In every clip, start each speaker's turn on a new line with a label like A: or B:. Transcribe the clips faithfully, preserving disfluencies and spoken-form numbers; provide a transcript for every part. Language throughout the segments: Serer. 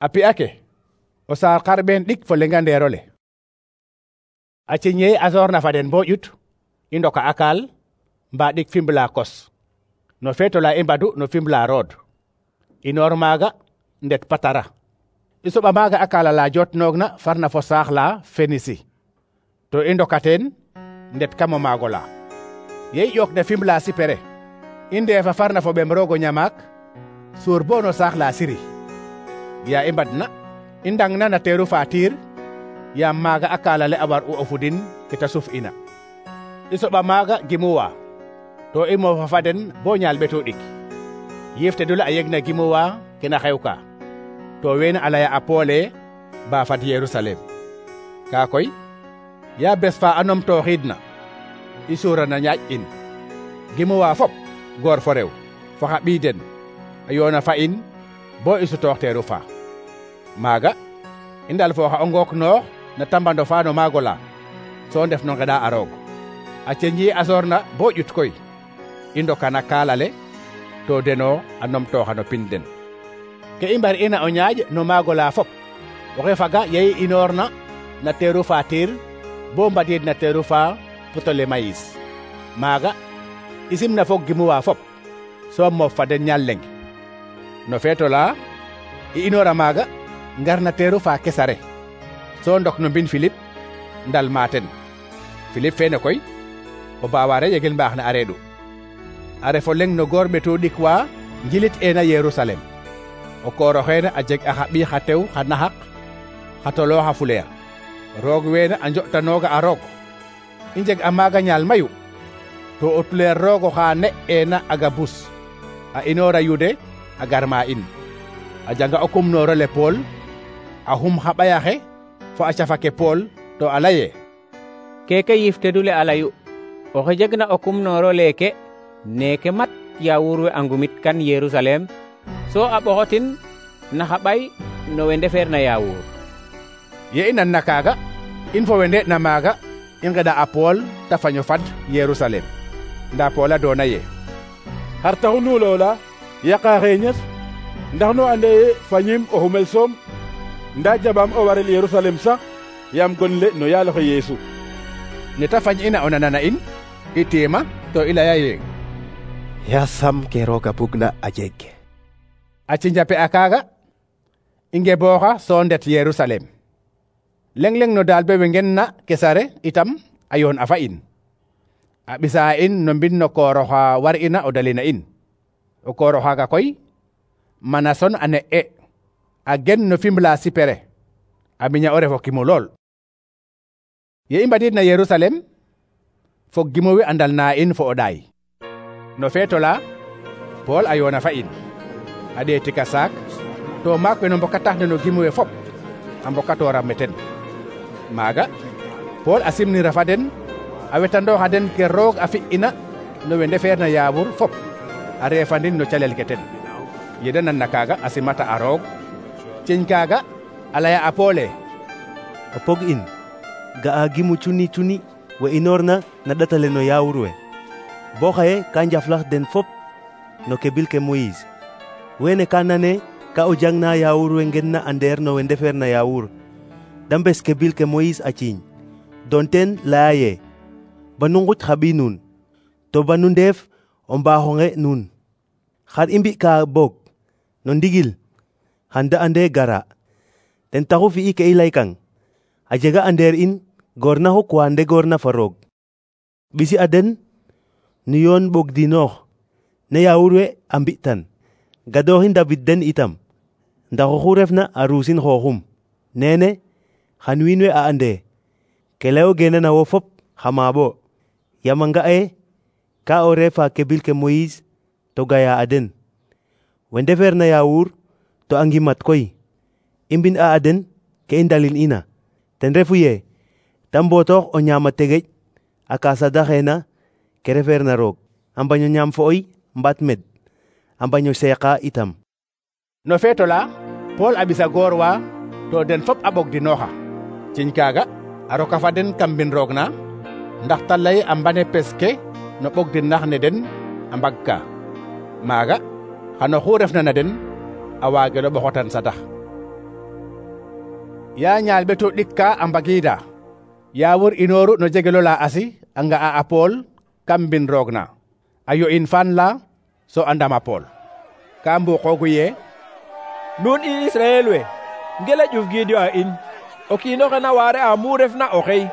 A: A pi'a ke o saar xarɓeen ɗik fo lenga ndeerole. A ciñe a soorna fa den bo ƴut i ndoka a kaal mba ɗik Fimbla kos no feetola i mbadu no Fimbla rood. Inoor maaga ndet Patara. I soɓa maaga a kaala la jotnoogna farna fo saax la Fenisi. To i ndoka teen ndet kamo maago la. Ye i ƴook na Fimbla sipere i ndeefa farna fo ɓem roog o ñamaak suur bo no saax la Siri. Ya i mbadna i ndangna na teeru fa Tiir yaam maaga a kaala le a war u o fudin ke ta suf ina. I soɓa maaga gimuwa to i moofa fa den bo ñaal ɓeto ɗik. Yiifte dule a yegna gimuwa kena xewka to weene a laya a Poole ba fad Yerusalem. Kaa koy ya bes fa a numtooxiidna i suurana ñaaƴ in gimuwa fop goor fo rew fo xa ɓiy den a yoona fa in bo i sutoox teeru fa. Maaga i ndalfooxa o ngook noox na tambando fa no maago la so ndef no ngeɗa a roog. A ceñi a soorna bo ƴut koy i ndokana kaala le to deno a numtooxa no pin den. Ke i mbar ina o ñaaƴ no maago la fop oxe faga ye i inoorna na teeru fa Tiir bo mbadiid na teeru fa Ptolemayis. Maaga i simna fog gimuwa fop so moof fa den ñaal leng. No feetola i inoora maaga ngar na teeru fa Kesare so ndok no mbin Filip ndal maaten. Filip feene koy o baawaare yegel mbaax na a reeɗu. A refo leng no goor ɓeto ɗik wa njilit ena Yerusalem. O koor oxeene a jeg a xa ɓiy xa tew xa naxaq xa tolooxa fuleer. Roog weene a njo'tanooga a roog. I njeg a maaga ñaal mayu to o tuleer roog oxa ne eena Agabus a inoora Yude a gar ma in. A janga o kumnoorole Pool a xum xa ɓayaxe fo a cafake Pool to a laye
B: keke yiifte dule a layu oxe jegna o kumnooro leeke neeke mat yaawuur we a ngumit kan Yerusalem so a ɓoxotin na xa ɓay no we ndefeerna yaawuur.
A: Ye i nanna kaaga in fo we nde'na maaga i ngeɗa a Pool ta faño fad Yerusalem. Nda Pool a doona ye
C: xar taxu nu loola yaqa xeeñes ndax nu ande ye fañim o xumel soom nda jaɓaam o warel Yerusalem sax yaam gon le no yaaloxe Yeesu.
A: Ne ta fañ ina o nanana in i tiima to i laya ye
D: yasam ke rooga bugna a jeg.
A: A cinjape a kaaga i ngebooxa so ndet Yerusalem. Leng leng no daal be we ngenna Kesare itam a yoon a fa in. A ɓisa in no mbin no koor oxa war ina o dalina in. O koor oxaaga koy Manason a ne'e a gen no Fimbla sipere a miña o refo kimu lool. Ye i mbadiid na Yerusalem fog gimu wi a ndalna in fo o ɗaay. No feetola Pool a yoona fa in a ɗeetika saak to maak we no mbokataxna no gimu we fop a mbokatoora meten. Maaga Pool a simnira fa den a wetandooxa den ke roog a fi'ina no we ndefeerna yaawur fop a reefandin no calel ke ten. Ye de nanna kaaga a simata a roog ciñ kaaga a laya a Poole
D: o pog in ga'a gimu cuni cuni we inoorna na ɗatale no yaawur we bo xaye ka njaflax den fop no ke bil ke Moïse. Wene ka nane ka o jangna yaawur we ngenna a ndeer no we ndefeerna yaawur da mbes ke bil ke Moïse a ciiñ don ten laya ye ba nu nguc xa ɓiy nuun to ba nu ndeef o mbaaxonge nuun. Xar i mbi'ka boog no ndigil xan da ande gara ten taxu fi'i ke i laykang a jega a ndeer in goor na xuk wa ndegoorna fa roog. Ɓisi a den nu yoon ɓogdinoox ne yaawur we a mbi'tan gadooxi ndabid den itam ndax oxu refna a ruusin xooxum. Neene xan wiin we a ande ke layogeena na wo fop xama bo yaam a nga'e ka o reefa ke bil ke Moïse to gaya a den. We ndefeerna yaawur to a ngimat koy i mbin a a den ke i ndalin ina ten refu ye ta mbotoox o ñaama tegeƴ a kaasa daxeena ke refeerna roog a mbaño ñaam fo'oy mbaat med a mbaño seeqa itam.
A: No feetola Pool a ɓisa goor wa to den fop a ɓogdinooxa. Ciñ kaaga a roka fa den kam mbin roog na ndax ta lay a mbane pes ke no ɓogdinax ne den a mbagka. Maaga xano xu refna na den a waagelo ɓoxotan satax. ya ñaal ɓeto ɗikka a mbagida yawur inoru no jegelo la asi a nga'a a Pool kam mbin roog na a yo'in fan la so a ndama Pool ka mbuqoogu ye
E: nun i Israel we ngela ƴuf gidio a in o kiino xe na waare a mu refna o xey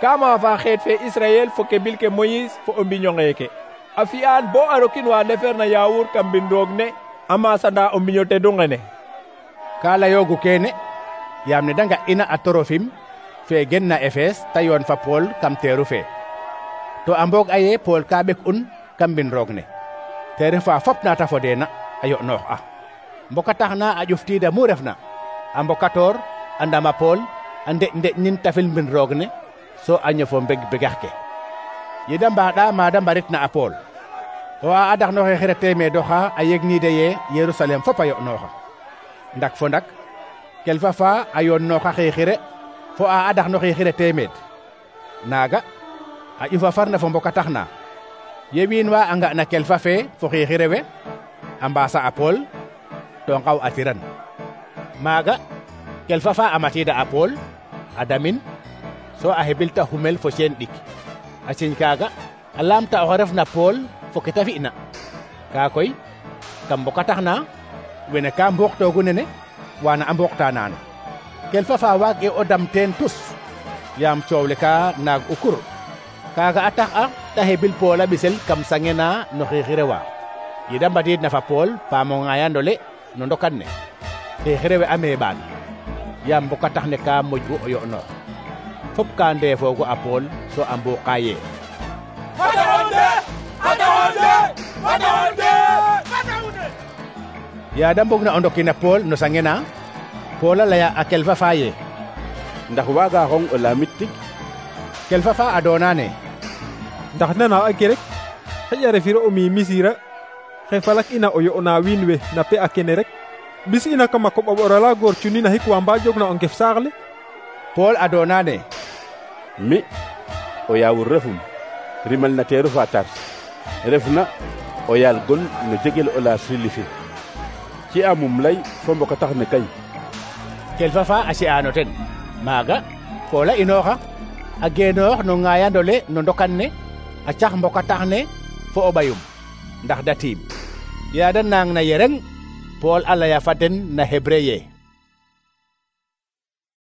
E: ka maafa xeet fe Israel fo ke bil ke Moïse fo o mbiño ngeeke a fi'aan bo a rokin wa ndefeerna yawur kam mbin roog ne a masanda o mbiño tedu ngene
A: ka layoogu keene yaam ne da nga'ina a Torofim fe gen na Efes ta yoon fa Pool kam teeru fe to a mboog aye Pool ka ɓek'un kam mbin roog ne te refa fop na ta fodeena a yo'noox a mboka taxna a ƴuftiida mu refna a mbokatoor a ndama Pool a ndeƴ ndeƴ nin tafil mbin roog ne so a ñofo mbeg begax ke yeda mbaɗa mada mbaritna a Pool o a adaxnoxe xire temeedoxa a yegnide ye Yerusalem fop a yo'nooxa ndak fo ndak kelfa fa a yoonnooxa xixire fo a adaxnoxe xire temeed naaga a ƴufa farna fo mboka taxna ye wiin wa a nga'na kelfa fe fo xixire we a mbaasa a Pool to ngaw a tiran maaga kelfa fa a matida a Pool a damin so a hebilta xumel fo ceen ɗik a ciñ kaaga a laamta oxe refna Pool fo ke ta fi'na ka koy kam mboka taxna wene ka mboxtoogu nene wana a mboxta naano kelfa fa waag e o dam teen tus yaam coow le ka naag u kur kaaga a tax a ta hebil Pool a ɓisel kam sangena no xixire wa yeda mbadiid na fa Pool paamo ŋaayandole no ndokan ne xixire we a meeɓaan yaam mboka tax ne ka moƴ'u o yo'noox fop ka ndeefoogu a Pool so a mbuuqa ye ya da mbog na o ndokina Pool no sangena Pool a laya a kelfa fa ye
C: ndax waaga xong o laamit tig
A: kelfa fa a doona ne
E: ndax nana a ke rek xaƴa refiro o mi misira xe falak ina o yo'na wiin we na pe a kene rek bis ina kama koɓa ɓorala goor cuni na xik wa mba jogna o ngef saax le
A: Pool a doona ne
C: mi o yaawur refum rimal na teeru fa Tars refna o yaal gon no jegel o la silifi ci amum lay fo mboka tax ne kay
A: kelfa fa a ci'aano ten maaga Pool a inooxa a geenoox no ŋaayandole no ndokan ne a cax mboka tax ne fo o ɓayum ndax da tiim ya da naang na yereng Pool a laya fa den na Hébreu ye